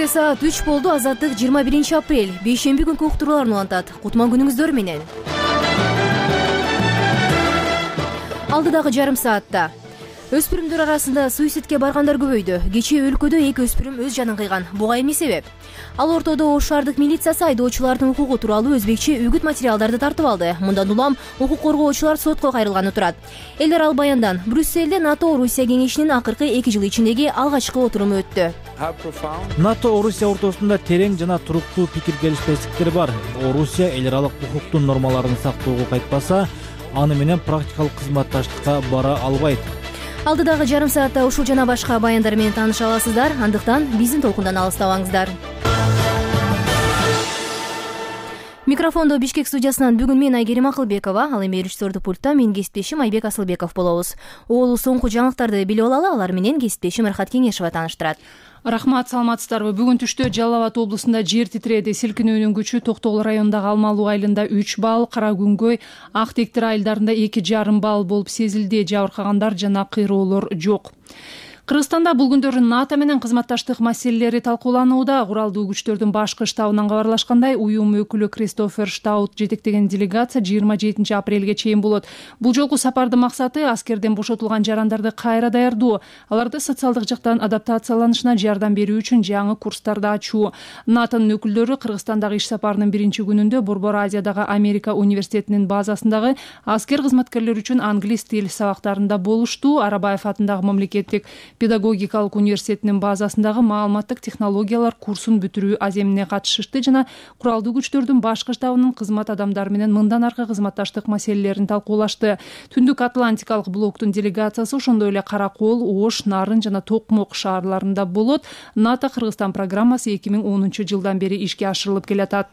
Кечте саат 3 болду. Азаттык 21 апрель бейшемби күнкү уктурууларын улантат. Кутман күнүңүздөр менен. Алдыдагы жарым саатта өспүрүмдөр арасында суицидке баргандар көбөйдү. Кечээ өлкөдө 2 өспүрүм өз жанын кыйган. Буга эмне себеп? Ал ортодо Ош шаардык милициясы айдоочулардын укугу тууралуу өзбекче үгүт материалдарды тартып алды. Мындан улам укук коргоочулар сотко кайрылганы турат. Элдер ал баяндан Брюссельде НАТО-Орусия кеңешинин акыркы 2 жыл ичиндеги алгачкы отуруму өттү. НАТО-Орусия ортосунда терең жана туруктуу пикир келишпестиктер бар. Орусия эл аралык укуктун нормаларын сактоого кайтпаса, аны менен практикалык кызматташтыкка бара албайт. Алдыдагы жарым саатта ушул жана башка баяндар менен тааныша аласыздар. Андыктан биздин толкундан алыстабаңыздар. Микрофондо Бишкек студиясынан бүгүн мен Айгерим Акылбекова, ал эми режиссердүү пультта менин кесиптешим Айбек Асылбеков болобуз. Оолу соңку жаңылыктарды билип алалы, алар менен кесиптешим Рахат Кеңешева тааныштырат. Рахмат, саламатсыздарбы? Бүгүн түштө Жалал Абад облусунда жер титиреди. Силкинүүнүн күчү Токтогул районундагы Алмалуу айылында 3 балл, Кара Күнгөй, Ак Тектир айылдарында 2,5 балл болуп сезилди. Жабыркагандар жана кыйроолор жок. Кыргызстанда бул күндөрү НАТО менен кызматташтык маселелери талкууланууда. Куралдуу күчтөрдүн башкы штабынан кабарлашкандай, уюм өкүлү Кристофер Штаут жетектеген делегация 27 апрелге чейин болот. Бул жолку сапардын максаты аскерден бошотулган жарандарды кайра даярдоо, аларды социалдык жактан адаптацияланышына жардам берүү үчүн жаңы курстарды ачуу. НАТОнун өкүлдөрү Кыргызстандагы иш сапарынын биринчи күнүндө Борбор Азиядагы Америка университетинин базасындагы аскер кызматкерлери үчүн англис тил сабактарында болушту. Арабаев атындагы мамлекеттик педагогикалык университетинин базасындагы маалыматтык технологиялар курсун бүтүрүү аземине катышышты жана куралдуу күчтөрдүн башкы штабынын кызмат адамдары менен мындан аркы кызматташтык маселелерин талкуулашты. Түндүк Атлантикалык блоктун делегациясы ошондой эле Каракол, Ош, Нарын жана Токмок шаарларында болот. НАТО Кыргызстан программасы 2010 жылдан бери ишке ашырылып келатат.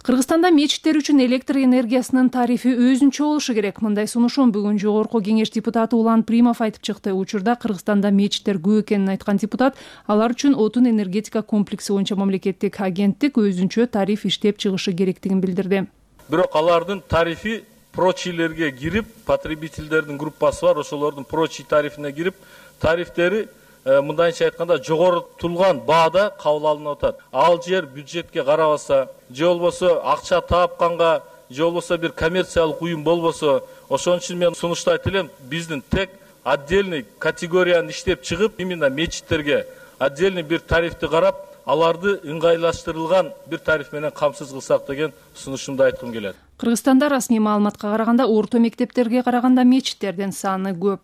Кыргызстанда мечиттер үчүн электр энергиясынын тарифи өзүнчө болушу керек. Мындай сунушун бүгүн Жогорку кеңеш депутаты Улан Примов айтып чыкты. Учурда Кыргызстанда мечиттер көп экенин айткан депутат, алар үчүн отун энергетика комплекси боюнча мамлекеттик агенттик өзүнчө тариф иштеп чыгышы керектигин билдирди. Бирок алардын тарифи прочилерге кирип, потребительдердин группасы бар, ошолордун прочи тарифине кирип, тарифтери мындайча айтканда жогорутулган баада кабыл алынып атат. Ал жер бюджетке карабаса, же болбосо акча тапканга, же болбосо бир коммерциялык уюм болбосо, ошон үчүн мен сунуштайт элем, биздин тек отдельный категорияны иштеп чыгып, именно мечиттерге отдельный бир тарифти карап, аларды ыңгайлаштырылган бир тариф менен камсыз кылсак деген сунушумду айткым келет. Кыргызстанда расмий маалыматка караганда орто мектептерге караганда мечиттердин саны көп.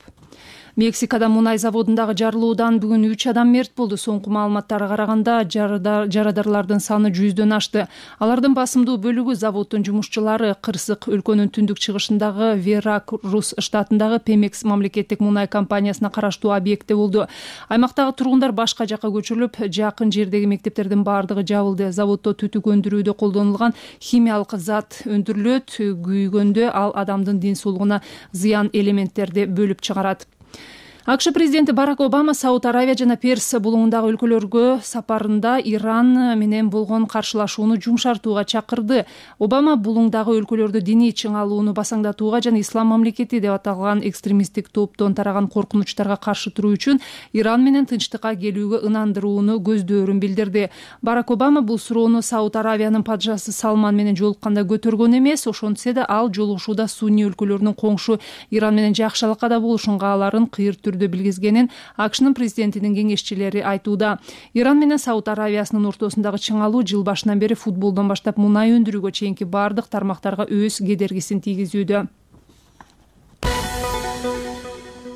Мексикада мунай заводундагы жарылуудан бүгүн 3 адам мерт болду. Соңку маалыматтарга караганда жарадарлардын саны 100дөн ашты. Алардын басымдуу бөлүгү заводдун жумушчулары. Кырсык өлкөнүн түндүк чыгышындагы Веракрус штатындагы Пемекс мамлекеттик мунай компаниясына караштуу объектте болду. Аймактагы тургундар башка жакка көчүрүлүп, жакын жердеги мектептердин бардыгы жабылды. Заводдо түтүк өндүрүүдө колдонулган химиялык зат өндүрүлөт. Күйгөндө ал адамдын ден соолугуна зыян элементтерди бөлүп чыгарат. АКШ президенти Барак Обама Сауд Аравия жана Перс булуңундагы өлкөлөргө сапарында Иран менен болгон каршылашууну жумшартууга чакырды. Обама булуңдагы өлкөлөрдө диний чыңалууну басаңдатууга жана ислам мамлекети деп аталган экстремисттик топтон тараган коркунучтарга каршы туруу үчүн Иран менен тынчтыкка келүүгө ынандырууну көздөөрүн билдирди. Барак Обама бул суроону Сауд Аравиянын падышасы Салман менен жолукканда көтөргөн эмес, ошентсе да ал жолугушууда Сунни өлкөлөрүнүн коңшу Иран менен жакшылыкка болушун кааларын кыйыр түрдө билгизгенин АКШнын президентинин кеңешчилери айтууда. Иран менен Сауд Аравиясынын ортосундагы чыңалуу жыл башынан бери футболдон баштап мунай өндүрүүгө чейинки бардык тармактарга өз кедергисин тийгизүүдө.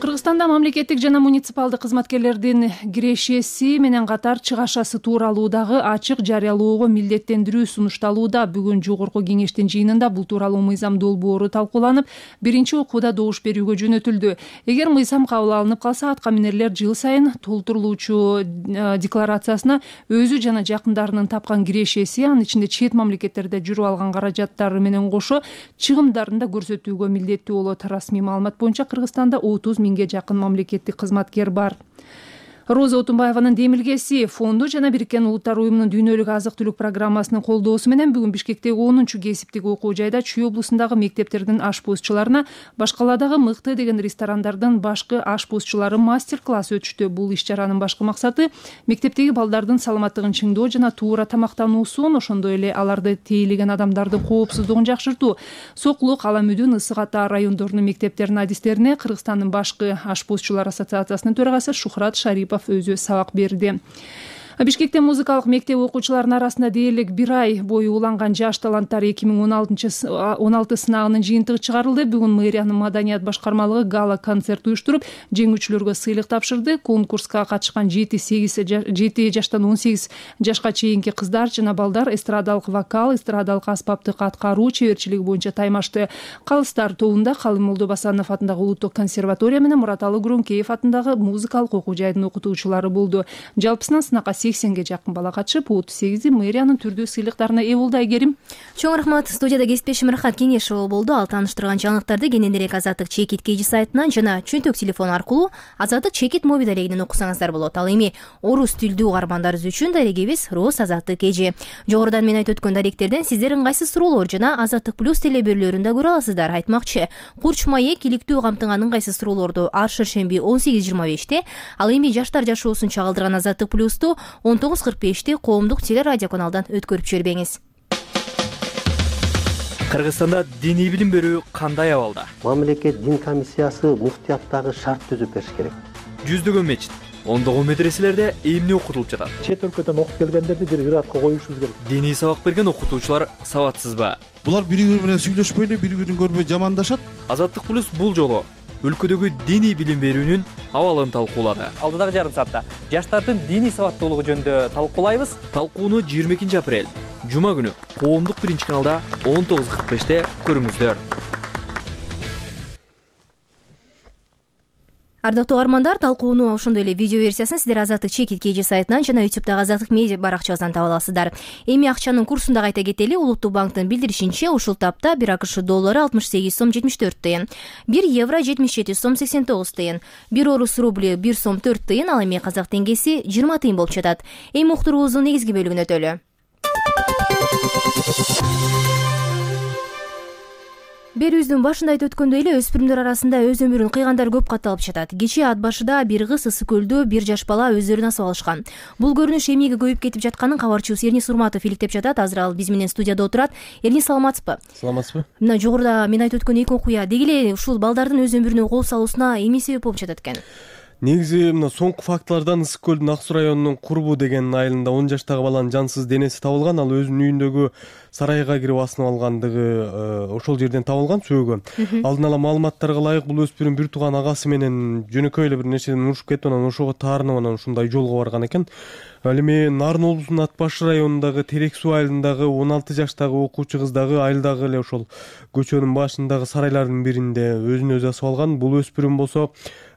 Кыргызстанда мамлекеттик жана муниципалдык кызматкерлердин кирешеси менен катар чыгашасы тууралуудагы ачык жарыялоого милдеттендирүү сунушталууда. Бүгүн Жогорку кеңештин жыйынында бул тууралуу мыйзам долбоору талкууланып, биринчи окууда добуш берүүгө жөнөтүлдү. Эгер мыйзам кабыл алынып калса, аткаминерлер жыл сайын толтурулуучу декларациясына өзү жана жакындарынын тапкан кирешеси, анын ичинде чет мамлекеттерде жүрүп алган каражаттары менен кошо чыгымдарын да көрсөтүүгө милдеттүү болот. Расмий маалымат боюнча Кыргызстанда 30 миңге жакын мамлекеттик кызматкер бар. Роза Отунбаеванын демилгеси фонду жана Бириккен Улуттар уюмунун дүйнөлүк азык-түлүк программасынын колдоосу менен бүгүн Бишкектеги 10-чу кесиптик окуу жайда Чүй облусундагы мектептердин ашпозчуларына башкаладагы мыкты деген ресторандардын башкы ашпозчулары мастер-класс өтүштү. Бул иш-чаранын башкы максаты мектептеги балдардын саламаттыгын чыңдоо жана туура тамактануусун, ошондой эле аларды тейлеген адамдардын коопсуздугун жакшыртуу. Сокулук, Аламүдүн, Ысык Ата райондорунун мектептеринин адистерине Кыргызстандын башкы ашпозчулар ассоциациясынын төрагасы Шухрат Шарипов өзү сабак берди. Бишкекте музыкалык мектеп окуучуларынын арасында дээрлик 1 ай бою уланган жаш таланттар 2016 сынагынын жыйынтыгы чыгарылды. Бүгүн мэриянын маданият башкармалыгы гала концерт уюштуруп, жеңүүчүлөргө сыйлык тапшырды. Конкурска катышкан 7 жаштан 18 жашка чейинки кыздар жана балдар эстрадалык вокал, эстрадалык аспаптык аткаруу чеберчилиги боюнча таймашты. Калыстар тобунда Калым Молдобасанов атындагы Улуттук консерватория менен Мураталы Гүрөңкеев атындагы музыкалык окуу жайдын окутуучулары болду. Жалпысынан сынакка 80ге жакын бала катышып, 38 мэриянын түрдүү сыйлыктарына ээ болду. Айгерим. Чоң рахмат. Студияда кесиптешим Рахат Кеңешова болду. Ал тааныштырган жаңылыктарды кененирээк Азаттык Чекит KG сайтынан жана чөнтөк телефон аркылуу Азаттык Чекит мобил дарегинен окусаңыздар болот. Ал эми орус тилдүү угармандарыбыз үчүн дарегибиз Роз Азаттык KG. Жогоруда мен айтып өткөн даректерден сиздер ыңгайсыз суроолор жана Азаттык Плюс телебөрлөрүн да көрө аласыздар. Айтмакчы, Курч маек иликтүү камтыган ыңгайсыз суроолорду ар шаршемби 18:25-те, ал эми жаштар жашоосун чагылдырган Азаттык Плюсту 19:45-те коомдук телерадио каналдан өткөрүп жибербеңиз. Кыргызстанда диний билим берүү кандай абалда? Мамлекет дин комиссиясы муфтияттагы шарт түзүп бериш керек. Жүздөгөн мечит, ондогон медреселерде эмне окутулуп жатат? Чет өлкөдөн окуп келгендерди бир ыраатка коюшубуз керек. Диний сабак берген окутуучулар сабатсызбы? Булар бири-бири менен сүйлөшпөй эле, бири-бирин көрбөй жамандашат. Азаттык Плюс бул жолу өлкөдөгү диний билим берүүнүн абалын талкуулады. Алдыдагы жарым саатта жаштардын диний сабаттуулугу жөнүндө талкуулайбыз. Талкууну 22 апрель жума күнү коомдук 1-каналда 19:45-те көрүңүздөр. Ардактуу угармандар, талкууну ошондой эле видео версиясын сиздер Азаттык Чекит KG сайтынан жана YouTube'дагы Азаттык медиа баракчабыздан таба аласыздар. Эми акчанын курсун да кайта кетели. Улуттук банктын билдиришинче, ушул тапта 1 АКШ доллары 68 сом 74 тыйын, 1 евро 77 сом 89 тыйын, 1 орус рубли 1 сом 4 тыйын, ал эми казак теңгеси 20 тыйын болуп жатат. Эми уктуруубуздун негизги бөлүгүнө өтөлү. Берүүбүздүн башында айтып өткөндөй эле өспүрүмдөр арасында өз өмүрүн кыйгандар көп катталып жатат. Кечээ ат башыда бир кыз Ысык көлдө 1 жаш бала өздөрүн асып алышкан. Бул көрүнүш эмнеге көбөйүп кетип жатканын кабарчыбыз Эрнис Урматов иликтеп жатат. Азыр ал биз менен студияда отурат. Эрнис, саламатсызбы? Саламатсызбы? Мына жогоруда мен айтып өткөн эки окуя деги эле ушул балдардын өз өмүрүнө кол салуусуна эмне себеп болуп жатат экен? Негизи мына соңку фактылардан Ысык көлдүн Ак Суу районунун Курбу деген айылында 10 жаштагы баланын жансыз денеси табылган. Ал өзүнүн үйүндөгү сарайга кирип асынып алгандыгы ошол жерден табылган сөөгө. Алдын ала маалыматтарга ылайык бул өспүрүм бир тууган агасы менен жөнөкөй эле бир нерседен урушуп кетип, анан ошого таарынып анан ушундай жолго барган экен. Ал эми Нарын облусунун Ат Баш районундагы Терек суу айылындагы 16 жаштагы окуучу кыз дагы айылдагы эле ошол көчөнүн башындагы сарайлардын биринде өзүн өзү асып алган. Бул өспүрүм болсо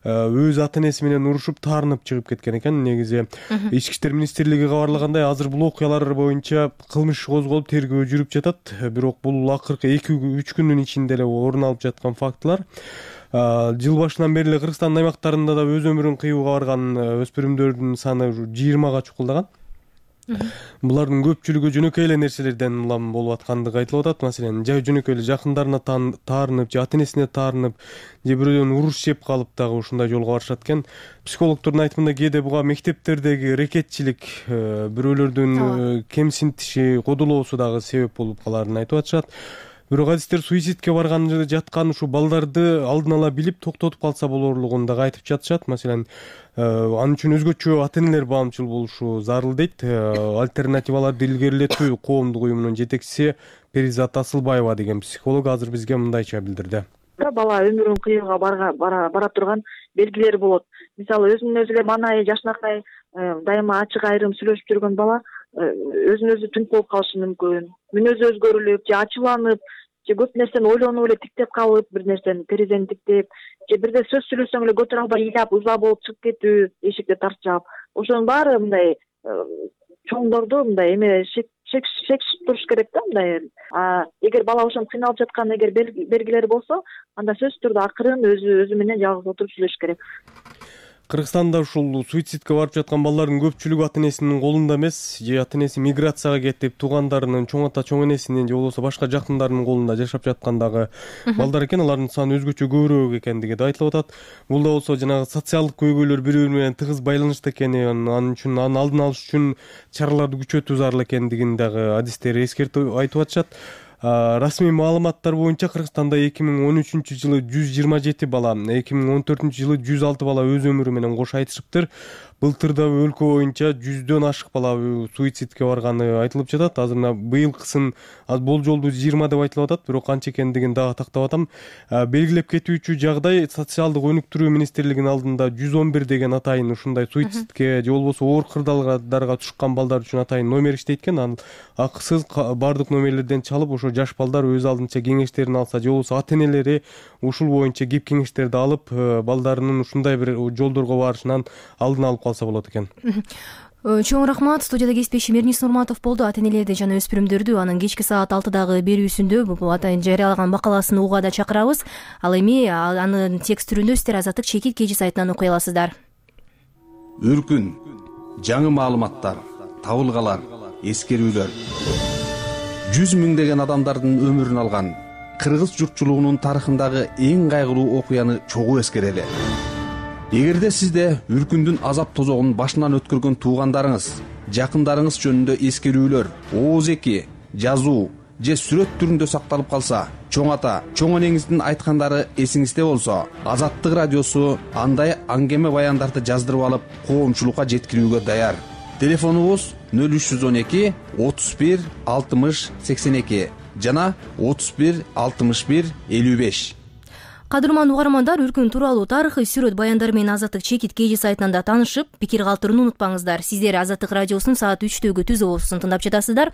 өз ата энеси менен урушуп таарынып чыгып кеткен экен. Негизи Ички иштер министрлиги кабарлагандай, азыр бул окуялар боюнча кылмыш иш козголуп тергөө жүрүп жатат. Бирок бул акыркы 2-3 күндүн ичинде эле орун алып жаткан фактылар. Жыл башынан бери эле Кыргызстандын аймактарында да өз өмүрүн кыюуга барган өспүрүмдөрдүн саны 20га чукулдаган. Булардын көпчүлүгү жөнөкөй эле нерселерден улам болуп аткандыгы айтылып атат. Маселен, жөнөкөй эле жакындарына таарынып, же ата энесине таарынып, же бирөөнүн уруш жеп калып дагы ушундай жолго барышат экен. Психологдордун айтымында кээде буга мектептердеги рекетчилик, бирөөлөрдүн кемсинтиши, кодулоосу дагы себеп болуп каларын айтып атышат. Бирок адистер суицидке барган жаткан ушу балдарды алдын ала билип токтотуп калса болорлугун дагы айтып жатышат. Маселен, ал үчүн өзгөчө ата энелер баамчыл болушу зарыл дейт. Альтернативаларды илгерилетүү коомдук уюмунун жетекчиси Перизат Асылбаева деген психолог азыр бизге мындайча билдирди. Бала өмүрүн кыюуга бара турган белгилери болот. Мисалы, өзүнүн өзү эле маанай, жашнакай, дайыма ачык айрым сүйлөшүп жүргөн бала өзүн өзү түнөп болуп калышы мүмкүн. Мүнөзү өзгөрүлүп, же ачууланып, же көп нерсени ойлонуп эле тиктеп калып, бир нерсени терезени тиктеп, же бирде сөз сүйлөсөң эле көтөрө албай ыйлап, ыза болуп чыгып кетүү, эшикти тарчап. Ошонун баары мындай чоңдорду мындай эме шекшип туруш керек да мындай. Эгер бала ошон кыйналып жаткан эгер белгилери болсо, анда сөзсүз түрдө акырын өзү менен жалгыз отуруп сүйлөшүш керек. Кыргызстанда ушул суицидке барып жаткан балдардын көпчүлүгү ата энесинин колунда эмес, же ата энеси миграцияга кетип, туугандарынын, чоң ата чоң энесинин же болбосо башка жакындарынын колунда жашап жаткандагы балдар экен. Алардын саны өзгөчө көбүрөөк экендиги да айтылып атат. Бул да болсо жанагы социалдык көйгөйлөр бири бири менен тыгыз байланышта экени, анын үчүн анын алдын алыш үчүн чараларды күчөтүү зарыл экендигин дагы адистер эскертип айтып атышат. Расмий маалыматтар боюнча Кыргызстанда 2013-жылы 127 бала, 2014-жылы 106 бала өз өмүрү менен кош айтышыптыр. Былтыр да өлкө боюнча 100дөн ашык бала суицидке барганы айтылып жатат. Азыр мына быйылкысын болжолдуу 20 деп айтылып атат, бирок канча экендигин дагы тактап атам. Белгилеп кетүүчү жагдай, социалдык өнүктүрүү министрлигинин алдында 111 деген атайын ушундай суицидке же болбосо оор кырдаалдарга түшкөн балдар үчүн атайын номер иштейт экен. Анын акысыз бардык номерлерден чалып ошо жаш балдар өз алдынча кеңештерин алса же болбосо ата энелери ушул боюнча кеп кеңештерди алып, балдарынын ушундай бир жолдорго барышынан алдын алып калса болот экен. Чоң рахмат. Студияда кесиптешим Эрнис Нурматов болду. Ата энелерди жана өспүрүмдөрдү анын кечки саат 6дагы берүүсүндө бул атайын жарыялаган макаласын угууга да чакырабыз. Ал эми анын текст түрүндө сиздер Азаттык чекит KG сайтынан окуй аласыздар. Үркүн, жаңы маалыматтар, табылгалар, эскерүүлөр. 100 миңдеген адамдардын өмүрүн алган кыргыз журтчулугунун тарыхындагы эң кайгылуу окуяны чогуу эскерели. Эгерде сизде үркүндүн азап тозогун башынан өткөргөн туугандарыңыз, жакындарыңыз жөнүндө эскерүүлөр, ооз-эки, жазуу же сүрөт түрүндө сакталып калса, чоң ата, чоң энеңиздин айткандары эсиңизде болсо, Азаттык радиосу андай аңгеме баяндарды жаздырып алып, коомчулукка жеткирүүгө даяр. Телефонубуз 0312 31 60 82 жана 31 61 55. Кадырман угармандар, үркүн тууралуу тарыхый сүрөт баяндары менен Азаттык чекит KG сайтынан да таанышып, пикир калтырууну унутпаңыздар. Сиздер Азаттык радиосунун саат 3төгү түзүү болуусун тыңдап жатасыздар.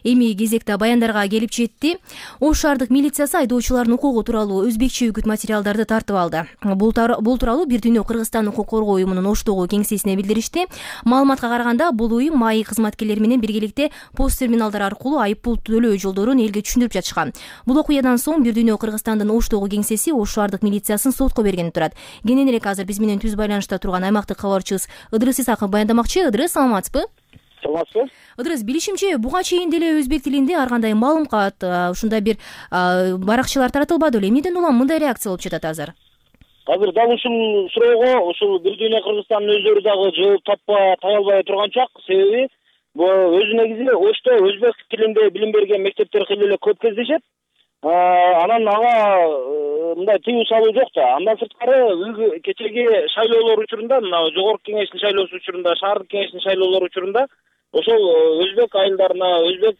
Эми кезекте баяндарга келип жетти. Ош шаардык милициясы айдоочулардын укугу тууралуу өзбекче үгүт материалдарды тартып алды. Бул тууралуу Бир дүйнө Кыргызстан укук коргоо уюмунун Оштогу кеңсесине билдиришти. Маалыматка караганда, бул уюм МАИ кызматкерлери менен биргеликте пост терминалдар аркылуу айып пул төлөө жолдорун элге түшүндүрүп жатышкан. Бул окуядан соң Бир дүйнө Кыргызстандын Оштогу кеңсеси Ош шаардык милициясын сотко бергени турат. Кененирээк азыр биз менен түз байланышта турган аймактык кабарчыбыз Ыдырыс Исаков баяндамакчы. Ыдырыс, саламатсызбы? Саламатсызбы. Ыдырыс, билишимче, буга чейин деле өзбек тилинде ар кандай маалымат, ушундай бир баракчалар таратылбады беле. Эмнеден улам мындай реакция болуп жатат азыр? Азыр дал ушул суроого ушул Бир дүйнө Кыргызстандын өздөрү дагы жооп таба албай турган чак. Себеби өзү негизи Ошто өзбек тилинде билим берген мектептер кыйла эле көп кездешет. Анан ага мындай тыюу салуу жок да. Андан сырткары кечеги шайлоолор учурунда, мына жогорку кеңештин шайлоосу учурунда, шаардык кеңештин шайлоолору учурунда ошол өзбек айылдарына, өзбек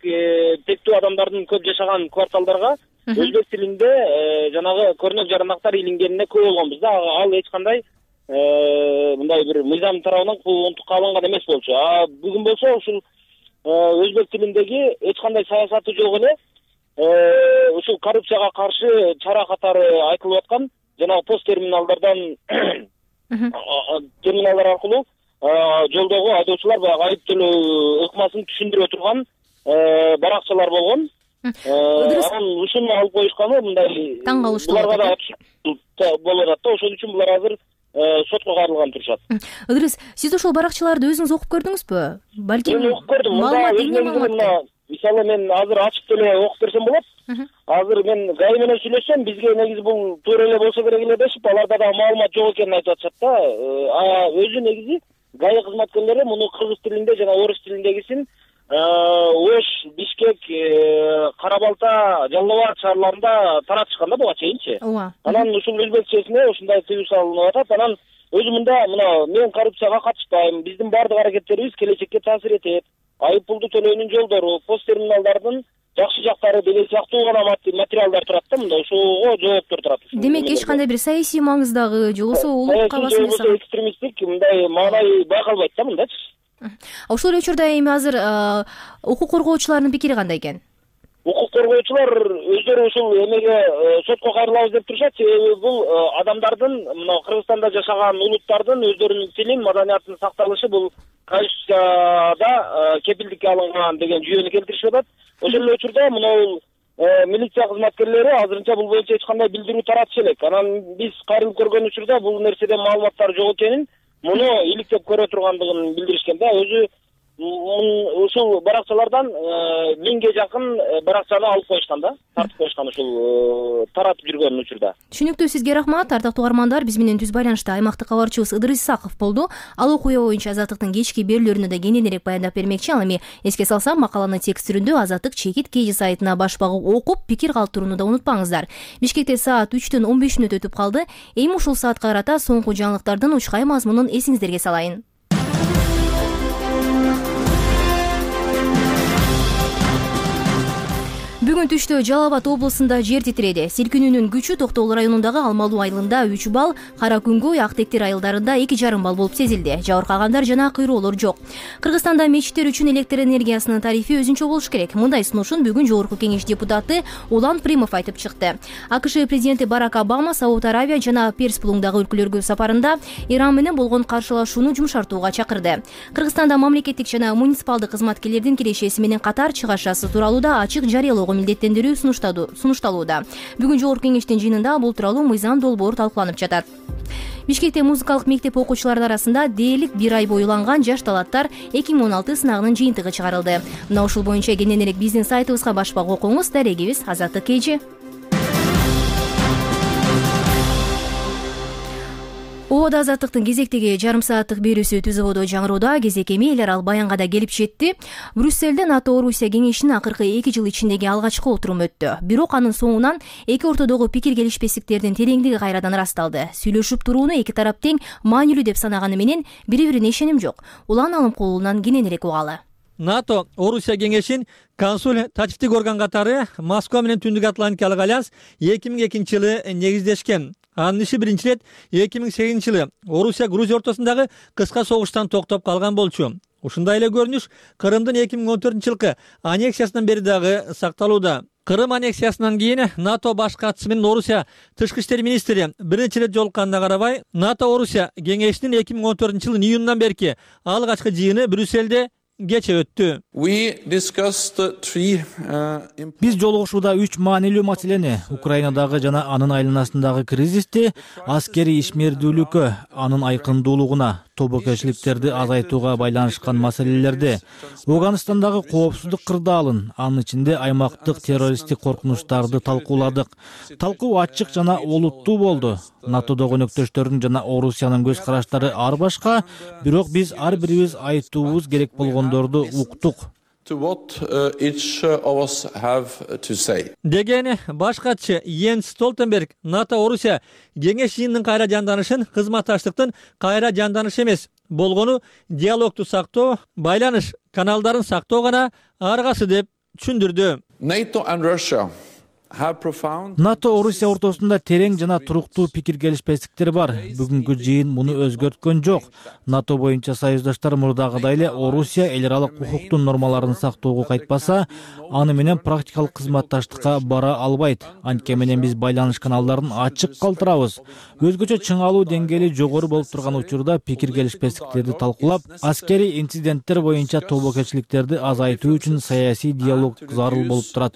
тектүү адамдардын көп жашаган кварталдарга өзбек тилинде жанагы көрнөк жарандактар илингенине көп болгонбуз да. Ал эч кандай мындай бир мыйзам тарабынан унутукка алынган эмес болчу. Бүгүн болсо ушул өзбек тилиндеги эч кандай саясаты жок эле ушул коррупцияга каршы чара катары айтылып аткан жанагы пост терминалдардан терминалдар аркылуу жолдогу айдоочулар баягы айып төлөө ыкмасын түшүндүрө турган баракчалар болгон. Анан ушуну алып коюшканы мындай таң калыштуу буларга да болуп атат да. Ошол үчүн булар азыр сотко кайрылган турушат. Ыдырыс, сиз ошол баракчаларды өзүңүз окуп көрдүңүзбү? Балким мен окуп көрдүм. Мында мисалы мен азыр ачып деле окуп берсем болот. Азыр мен гай менен сүйлөшсөм, бизге негизи бул туура эле болсо керек эле дешип, аларда да маалымат жок экенин айтып атышат да. Өзү негизи гай кызматкерлери муну кыргыз тилинде жана орус тилиндегисин Ош, Бишкек, Кара-Балта, Жалал Абад шаарларында таратышкан да буга чейинчи. Анан ушул өзбекчесине ушундай тыюу салынып атат. Анан өзү мына мен коррупцияга катышпайм, биздин бардык аракеттерибиз келечекке таасир этет, айып пулду төлөөнүн жолдору, пост терминалдардын жакшы жактары деген сыяктуу гана материалдар турат да. Мында ошого жооптор турат. Демек эч кандай бир саясий маңыздагы же болбосо улукка басым жасаган, экстремисттик мындай маанай байкалбайт да мындачы. Ошол эле учурда эми азыр укук коргоочулардын пикири кандай экен? Укук коргоочулар өздөрү ушул эмеге сотко кайрылабыз деп турушат. Себеби бул адамдардын, мына Кыргызстанда жашаган улуттардын өздөрүнүн тилин, маданиятынын сакталышы бул Конституцияда кепилдикке алынган деген жүйөнү келтиришип атат. Ошол эле учурда мына милиция кызматкерлери азырынча бул боюнча эч кандай билдирүү таратышы элек. Анан биз кайрылып көргөн учурда бул нерседен маалыматтар жок экенин, муну иликтеп көрө тургандыгын билдиришкен да. Өзү ушул баракчалардан 1000ге жакын баракчаны алып коюшкан да, тартып коюшкан ушул таратып жүргөн учурда. Түшүнүктүү, сизге рахмат. Ардактуу угармандар, биз менен түз байланышта аймактык кабарчыбыз Ыдырыс Исаков болду. Ал окуя боюнча Азаттыктын кечки берүүлөрүнө да кененирээк баяндап бермекчи. Ал эми эске салсам, макаланы текст түрүндө Азаттык чекит KG сайтына баш багып окуп, пикир калтырууну да унутпаңыздар. Бишкекте саат 3-төн 15 мүнөт өтүп калды. Эми ушул саатка карата соңку жаңылыктардын учкай мазмунун эсиңиздерге салайын. Бүгүн түштө Жалал Абад облусунда жер титиреди. Силкинүүнүн күчү Токтогул районундагы Алмалуу айылында 3 балл, Кара Күнгөй, Актектир айылдарында 2,5 балл болуп сезилди. Жабыркагандар жана кыйроолор жок. Кыргызстанда мечиттер үчүн электр энергиясынын тарифи өзүнчө болуш керек. Мындай сунушун бүгүн Жогорку Кеңеш депутаты Улан Примов айтып чыкты. АКШ президенти Барак Обама Сауд Аравия жана Перс булуңдагы өлкөлөргө сапарында Иран менен болгон каршылашууну жумшартууга чакырды. Кыргызстанда мамлекеттик жана муниципалдык кызматкерлердин кирешеси менен катар чыгашасы тууралуу да ачык жарыялоого милдеттендирүү сунушталууда. Бүгүн Жогорку Кеңештин жыйынында бул тууралуу мыйзам долбоор талкууланып жатат. Бишкекте музыкалык мектеп окуучулары арасында дээрлик 1 ай боюланган жаш таланттар 2016 сынагынын жыйынтыгы чыгарылды. Мына ушул боюнча кененирээк биздин сайтыбызга баш багып окуңуз. Дарегибиз Азаттык KG. Ободо Азаттыктын кезектеги жарым сааттык берүүсү түз ободо жаңыроодо. Кезек эми эл аралык баянга да келип жетти. Брюссельде НАТО-Орусия кеңешинин акыркы 2 жыл ичиндеги алгачкы отуруму өттү. Бирок анын соңунан эки ортодогу пикир келишпестиктердин тереңдиги кайрадан ырасталды. Сүйлөшүп турууну эки тарап тең маанилүү деп санаганы менен бири-бирине ишеним жок. Улан Алымкулунан кененирээк угалы. НАТО-Орусия кеңешин консул татиптик орган катары Москва менен Түндүк Атлантикалык альянс 2002-жылы негиздешкен. Анын иши биринчи ирет 2008-жылы Орусия Грузия ортосундагы кыска согуштан токтоп калган болчу. Ушундай эле көрүнүш Крымдын 2014-жылкы аннексиясынан бери дагы сакталууда. Крым аннексиясынан кийин НАТО баш катчысы менен Орусия тышкы иштер министри биринчи ирет жолукканына карабай, НАТО-Орусия кеңешинин 2014-жылдын июнунан берки алгачкы жыйыны Брюссельде кече өттү. Биз жолугушууда 3 маанилүү маселени: Украинадагы жана анын айланасындагы кризисти, аскерий ишмердүүлүккө, анын айкындуулугуна, тобокелчиликтерди азайтууга байланышкан маселелерди, Афганистандагы коопсуздук кырдаалын, анын ичинде аймактык террористтик коркунучтарды талкууладык. Талкуу ачык жана олуттуу болду. НАТОдогу өнөктөштөрдүн жана Орусиянын көз караштары ар башка, бирок биз ар бирибиз айтуубуз керек болгондорду уктук. Деген баш катчы Йенс Столтенберг НАТО-Орусия кеңеш жыйынынын кайра жанданышын кызматташтыктын кайра жанданышы эмес болгону диалогду сактоо, байланыш каналдарын сактоо гана аргасы деп түшүндүрдү. НАТО-Орусия ортосунда терең жана туруктуу пикир келишпестиктер бар. Бүгүнкү жыйын муну өзгөрткөн жок. НАТО боюнча союздаштар мурдагыдай эле Орусия эл аралык укуктун нормаларын сактоого кайтпаса, аны менен практикалык кызматташтыкка бара албайт. Анткени менен биз байланыш каналдарын ачык калтырабыз. Өзгөчө чыңалуу деңгээли жогору болуп турган учурда пикир келишпестиктерди талкуулап, аскерий инциденттер боюнча тобокелчиликтерди азайтуу үчүн саясий диалог зарыл болуп турат.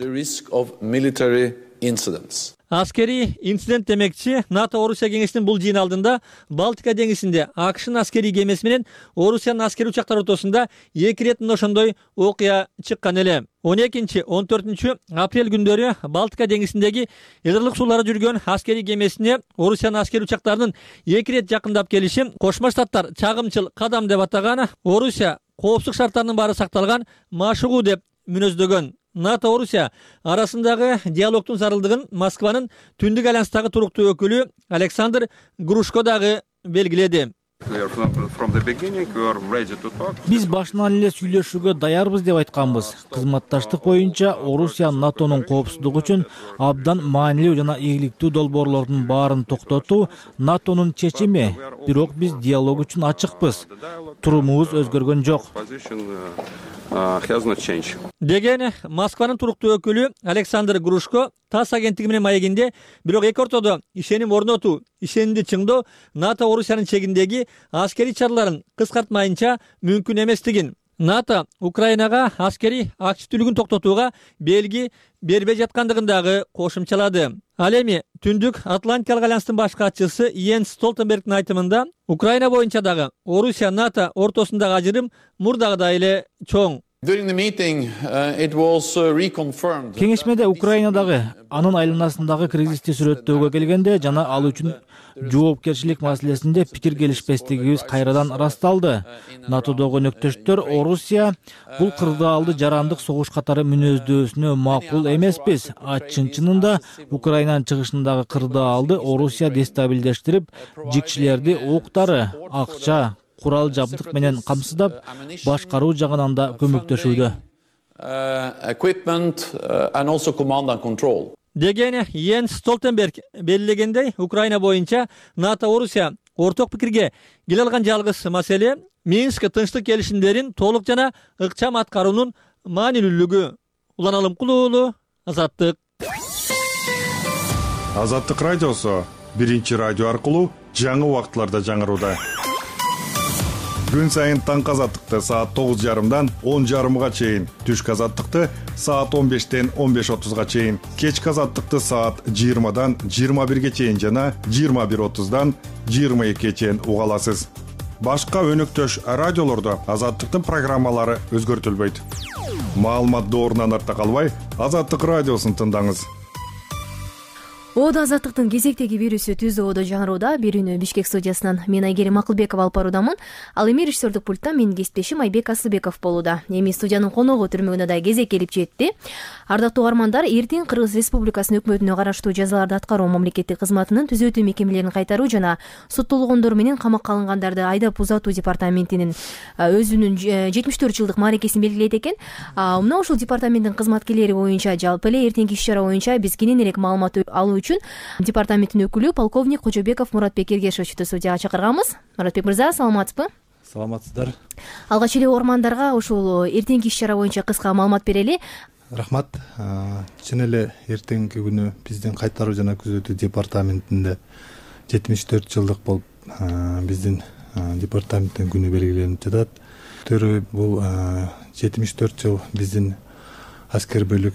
Аскерий инцидент демекчи, НАТО-Орусия кеңешинин бул жыйын алдында Балтика деңизинде АКШнын аскерий кемеси менен Орусиянын аскерий учактары ортосунда 2 ирет мына ошондой окуя чыккан эле. 12-14 апрель күндөрү Балтика деңизиндеги Ылдырлык сууларда жүргөн аскерий кемесине Орусиянын аскерий учактарынын 2 ирет жакындап келиши Кошмо Штаттар чагымчыл кадам деп атаган. Орусия коопсуздук шарттарынын баары сакталган машыгуу деп мүнөздөгөн. НАТО-Орусия арасындагы диалогдун зарылдыгын Москванын Түндүк альянстагы туруктуу өкүлү Александр Грушко дагы белгиледи. Биз башынан эле сүйлөшүүгө даярбыз деп айтканбыз. Кызматташтык боюнча Орусия НАТОнун коопсуздугу үчүн абдан маанилүү жана ийгиликтүү долбоорлордун баарын токтотуу НАТОнун чечими. Бирок биз диалог үчүн ачыкпыз. Турумубуз өзгөргөн жок. Деген Москванын туруктуу өкүлү Александр Грушко ТАСС агенттиги менен маегинде, бирок эки ортодо ишеним орнотуу, ишенимди чыңдоо НАТО-Орусиянын чегиндеги аскерий чараларын кыскартмайынча мүмкүн эместигин, НАТО Украинага аскерий активдүүлүгүн токтотууга белги бербей жаткандыгын дагы кошумчалады. Ал эми Түндүк Атлантикалык альянстын баш катчысы Йенс Столтенбергдин айтымында Украина боюнча дагы Орусия НАТО ортосундагы ажырым мурдагыдай эле чоң. Кеңешмеде Украинадагы анын айланасындагы кризисти сүрөттөөгө келгенде жана ал үчүн жоопкерчилик маселесинде пикир келишпестигибиз кайрадан ырасталды. НАТОдогу өнөктөштөр Орусия бул кырдаалды жарандык согуш катары мүнөздөсүнө макул эмеспиз. Чын-чынында Украинанын чыгышындагы кырдаалды Орусия дестабилдештирип, жикчилерди октары, акча, курал жабдык менен камсыздап, башкаруу жагынан да көмөктөшүүдө. Деген Йенс Столтенберг белгилегендей, Украина боюнча НАТО Орусия орток пикирге келе алган жалгыз маселе Минск тынчтык келишимдерин толук жана ыкчам аткаруунун маанилүүлүгү. Улан Алымкулуу, Азаттык. Азаттык радиосу биринчи радио аркылуу жаңы убакытларда жаңырууда. Күн сайын таңкы азаттыкты саат 9:30дан 10:30га чейин, түшкү азаттыкты саат 15-тен 15:30га чейин, кечки азаттыкты саат 20-дан 21-ге чейин жана 21:30-дан 22-ге чейин уга аласыз. Башка өнөктөш радиолордо азаттыктын программалары өзгөртүлбөйт. Маалымат доорунан артта калбай, Азаттык радиосун тыңдаңыз. Оодо азаттыктын кезектеги берүүсү Түз Оодо жаңырууда. Берүүнү Бишкек студиясынан мен Айгерим Акылбекова алып баруудамын. Ал эми режиссердик пульттан менин кесиптешим Айбек Асылбеков болууда. Эми студиянын коногу түрмөгүнө да кезек келип жетти. Ардактуу угармандар, эртең Кыргыз Республикасынын өкмөтүнө караштуу жазаларды аткаруу мамлекеттик кызматынын түзөтүү мекемелерин кайтаруу жана соттолгондор менен камакка алынгандарды айдап узатуу департаментинин өзүнүн 74 жылдык мааракесин белгилейт экен. Мына ушул департаменттин кызматкерлери боюнча жалпы эле эртеңки иш-чара боюнча биз кененирээк маалымат алуу үчүн департаменттин өкүлү полковник Кожобеков Муратбек Эргешовичти студияга чакырганбыз. Муратбек мырза, саламатсызбы? Саламатсыздар. Алгач эле угармандарга ушул эртеңки иш-чара боюнча кыска маалымат берели. Рахмат. Чын эле эртеңки күнү биздин кайтаруу жана күзөтүү департаментинде 74 жылдык болуп биздин департаменттин күнү белгиленип жатат. Бул 74 жыл биздин аскер бөлүк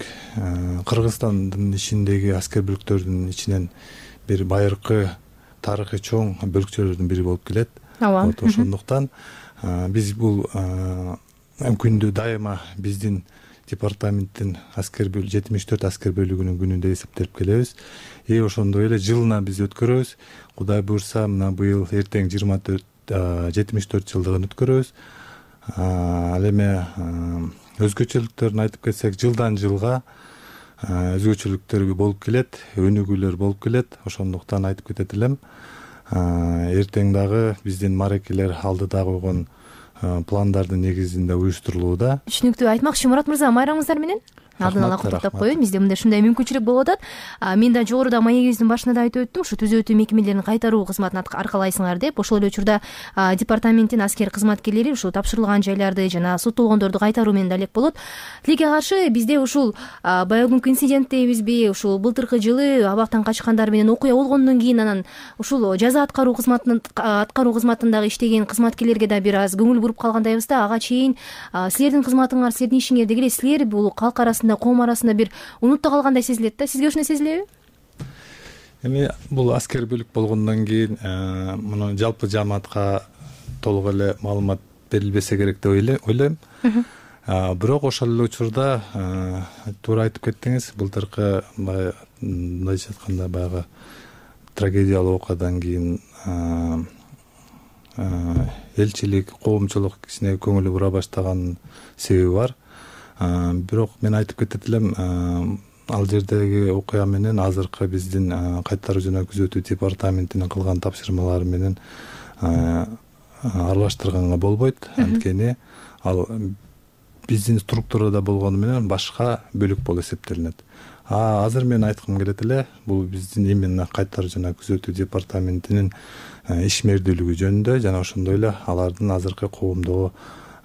Кыргызстандын ичиндеги аскер бөлүктөрдүн ичинен бир байыркы тарыхый чоң бөлүкчөлөрдүн бири болуп келет. Ошондуктан биз бул күндү дайыма биздин департаменттин 74 аскер бөлүгүнүн күнүндө эсептеп келебиз. Ошондой эле жылына биз өткөрөбүз. Кудай буйрса, мына быйыл эртең 74 жылдыгын өткөрөбүз. Ал эми өзгөчөлүктөрүн айтып кетсек, жылдан жылга өзгөчөлүктөр болуп келет, өнүгүүлөр болуп келет. Ошондуктан айтып кетет элем. Эртең дагы биздин мааракелер алдыда койгон пландардын негизинде уюштурулууда. Түшүнүктүү. Айтмакчы Мурат мырза, майрамыңыздар менен. Алдын ала куттуктап коеюн. Бизде мындай ушундай мүмкүнчүлүк болуп атат. Мен да жогоруда маегибиздин башында да айтып өттүм, ушу түзөтүү мекемелерин кайтаруу кызматын аркалайсыңар деп. Ошол эле учурда департаменттин аскер кызматкерлери ушул тапшырылган жайларды жана соттолгондорду кайтаруу менен да элек болот. Тилекке каршы бизде ушул баягы инцидент дейбизби, ушул былтыркы жылы абактан качкандар менен окуя болгондон кийин анан ушул жаза аткаруу кызматындагы иштеген кызматкерлерге да бир аз көңүл буруп калгандайбыз да. Ага чейин силердин кызматыңар, силердин ишиңер деги эле силер бул калк арасында, коом арасында бир унутта калгандай сезилет да. Сизге ошондой сезилеби? Эми бул аскер бөлүк болгондон кийин муну жалпы жамаатка толук эле маалымат берилбесе керек деп ойлойм. Бирок ошол эле учурда туура айтып кеттиңиз, былтыркы мындайча айтканда баягы трагедиялуу окуядан кийин элчилик, коомчулук кичине көңүлү бура баштаган себеби бар. Бирок мен айтып кетет элем, ал жердеги окуя менен азыркы биздин кайтаруу жана күзөтүү департаментинин кылган тапшырмалары менен аралаштырганга болбойт. Анткени ал биздин структурада болгону менен башка бөлүк болуп эсептелинет. Азыр мен айткым келет эле, бул биздин именно кайтаруу жана күзөтүү департаментинин ишмердүүлүгү жөнүндө жана ошондой эле алардын азыркы коомдогу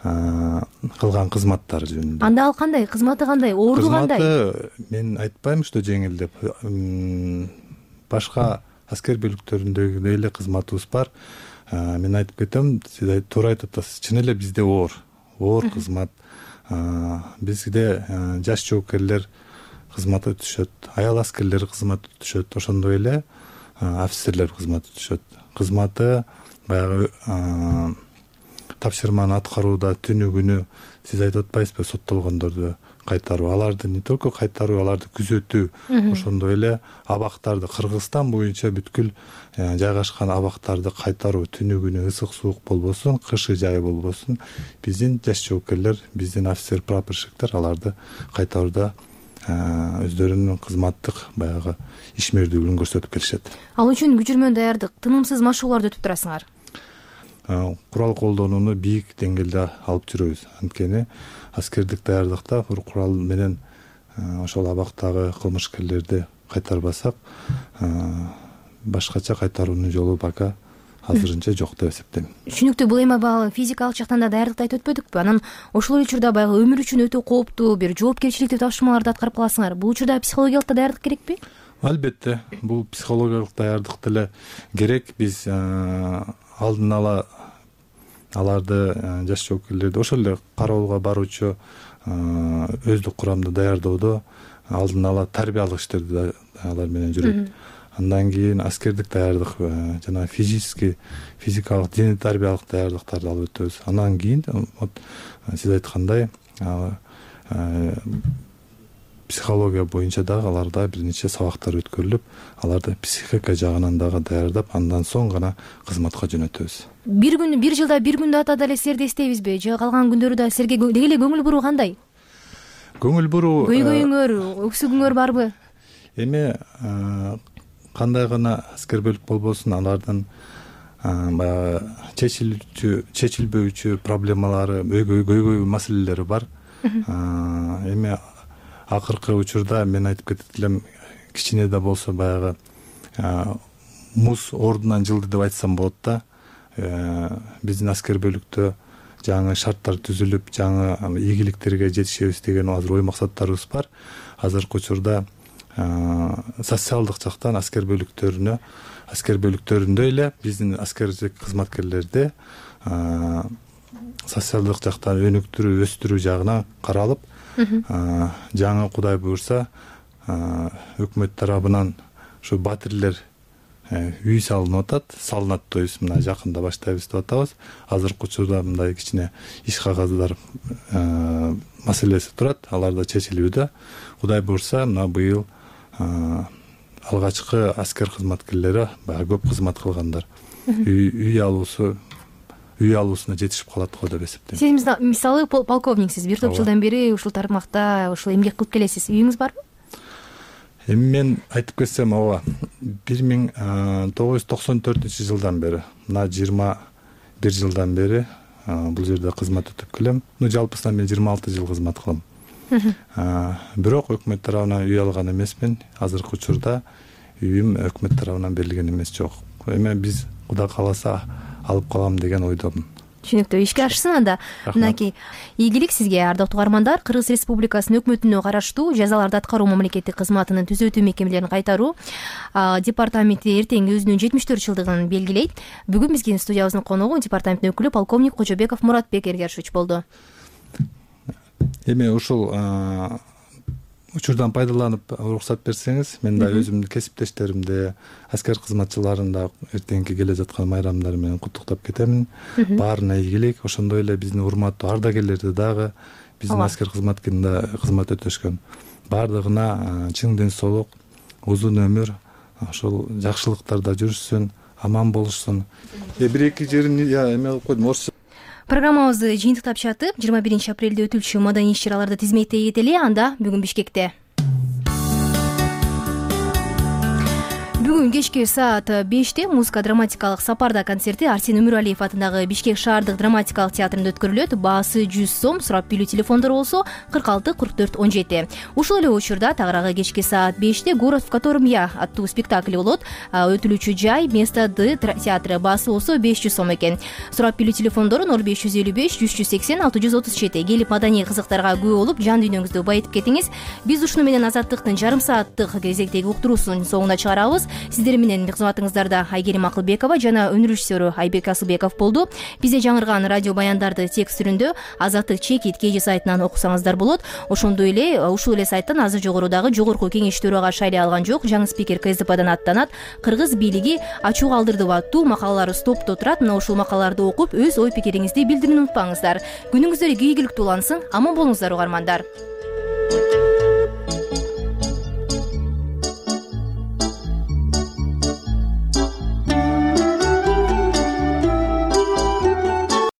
кылган кызматтары жөнүндө. Анда ал кандай? Кызматы кандай? Орду кандай? Кызматы мен айтпайм, что жеңил деп. Башка аскер бөлүктөрүндөгүдөй эле кызматыбыз бар. Мен айтып кетем, сиз туура айтып атасыз. Чын эле бизде оор оор кызмат. Бизде жаш жоопкерлер кызмат өтүшөт, аял аскерлер кызмат өтүшөт, ошондой эле офицерлер кызмат өтүшөт. Кызматы баягы тапшырманы аткарууда түнү күнү сиз айтып атпайсызбы, соттолгондорду кайтаруу, аларды не только кайтаруу, аларды күзөтүү, ошондой эле абактарды, Кыргызстан боюнча бүткүл жайгашкан абактарды кайтаруу, түнү күнү ысык суук болбосун, кышы жай болбосун, биздин жаш жоопкерлер, биздин офицер прапорщиктер аларды кайтарууда өздөрүнүн кызматтык баягы ишмердүүлүгүн көрсөтүп келишет. Ал үчүн күчүрмө даярдык, тынымсыз машыгууларды өтүп турасыңар. Курал колдонууну бийик деңгээлде алып жүрөбүз. Анткени аскердик даярдыкта курал менен ошол абактагы кылмышкерлерди кайтарбасак, башкача кайтаруунун жолу пока азырынча жок деп эсептейм. Түшүнүктүү, бул эми баягы физикалык жактан да даярдыкты айтып өтпөдүкпү? Анан ошол эле учурда баягы өмүр үчүн өтө кооптуу бир жоопкерчиликтүү тапшырмаларды аткарып каласыңар. Бул учурда психологиялык да даярдык керекпи? Албетте, бул психологиялык даярдык деле керек. Биз алдын ала аларды, жаш жоопкерлерди ошол эле кароолго баруучу өздүк курамды даярдоодо алдын ала тарбиялык иштерди алар менен жүрөт. Андан кийин аскердик даярдык, жана физикалык, дене тарбиялык даярдыктарды алып өтөбүз. Андан кийин сиз айткандай психология боюнча дагы аларда бир нече сабактар өткөрүлүп, аларды психика жагынан дагы даярдап, андан соң гана кызматка жөнөтөбүз. Бир жылда бир күндү атада эле силерди эстейбизби? Же калган күндөрү да силерге деги эле көңүл буруу кандай? Көңүл буруу, көйгөйүңөр, өксүгүңөр барбы? Эми кандай гана аскер бөлүк болбосун, алардын баягы чечилбөөчү проблемалары, көйгөй маселелери бар. Эми акыркы учурда мен айтып кетет элем, кичине да болсо баягы муз ордунан жылды деп айтсам болот да. Биздин аскер бөлүктө жаңы шарттар түзүлүп, жаңы ийгиликтерге жетишебиз деген азыр ой максаттарыбыз бар. Азыркы учурда социалдык жактан аскер бөлүктөрүндө эле биздин аскердик кызматкерлерди социалдык жактан өнүктүрүү, өстүрүү жагынан каралып, жаңы Кудай буюрса өкмөт тарабынан ушу батирлер үй салынып атат, салынат дейбиз, мына жакында баштайбыз деп атабыз. Азыркы учурда мындай кичине иш кагаздар маселеси турат, алар да чечилүүдө. Кудай буюрса, мына быйыл алгачкы аскер кызматкерлери баягы көп кызмат кылгандар үй алуусуна жетишип калат го деп эсептейм. Сиз мисалы полковниксиз, бир топ жылдан бери ушул тармакта ушул эмгек кылып келесиз. Үйүңүз барбы? Эми мен айтып кетсем, ооба, 1994 жылдан бери, мына 21 жылдан бери бул жерде кызмат өтүп келем. Жалпысынан мен 26 жыл кызмат кылам. Бирок өкмөт тарабынан үй алган эмесмин. Азыркы учурда үйүм өкмөт тарабынан берилген эмес, жок. Эми биз Кудай кааласа алып калам деген ойдомун. Түшүнүктүү, ишке ашсын анда. Мынакей ийгилик сизге, ардактуу угармандар. Кыргыз Республикасынын өкмөтүнө караштуу жазаларды аткаруу мамлекеттик кызматынын түзөтүү мекемелерин кайтаруу департаменти эртең өзүнүн 74 жылдыгын белгилейт. Бүгүн биздин студиябыздын коногу департаменттин өкүлү полковник Кожобеков Муратбек Эргершевич болду. Эми ушул учурдан пайдаланып уруксат берсеңиз, мен да өзүмдүн кесиптештеримди, аскер кызматчыларын да эртеңки келе жаткан майрамдары менен куттуктап кетемин. Баарына ийгилик, ошондой эле биздин урматтуу ардагерлерди дагы, биздин аскер кызматкеринде кызмат өтөшкөн баардыгына чың ден соолук, узун өмүр, ошол жакшылыктарда жүрүшсүн, аман болушсун. Бир эки жерин эме кылып койдум, орусча. Программабызды жыйынтыктап чатып, 21 апрелде өтүлчү маданий иш-чараларды тизметтей кетели. Анда бүгүн Бишкекте. Бүгүн кечки саат 5-те музыка-драматикалык сапарда концерти Арсен Өмүралиев атындагы Бишкек шаардык драматикалык театрында өткөрүлөт. Баасы 100 сом, сурап билүү телефондору болсо 46 44 17. Ушул эле учурда тагыраагы кечки саат 5-те Город, в котором я аттуу спектакль болот. Өтүлүүчү жай Место Д театры, баасы болсо 500 сом экен. Сурап билүү телефондору 0555 180 637. Келип маданий кызыктарга күбө болуп, жан дүйнөңүздү байытып кетиңиз. Биз ушуну менен Азаттыктын жарым сааттык кезектеги уктуруусун соңуна чыгарабыз. Сиздер менен кызматыңыздарда Айгерим Акылбекова жана өнөр режиссеру Айбек Асылбеков болду. Бизде жаңырган радио баяндарды текст түрүндө Азаттык чекит KG сайтынан окусаңыздар болот. Ошондой эле ушул эле сайттан азыр жогорудагы жогорку кеңеш төрага шайлай алган жок жаңы спикер КСДПдан аттанат. Кыргыз бийлиги ачуу калтырды аттуу макалалары стопто турат. Мына ушул макалаларды окуп өз ой пикириңизди билдирүүнү унутпаңыздар. Күнүңүздөр ийгиликтүү улансын. Аман болуңуздар угармандар.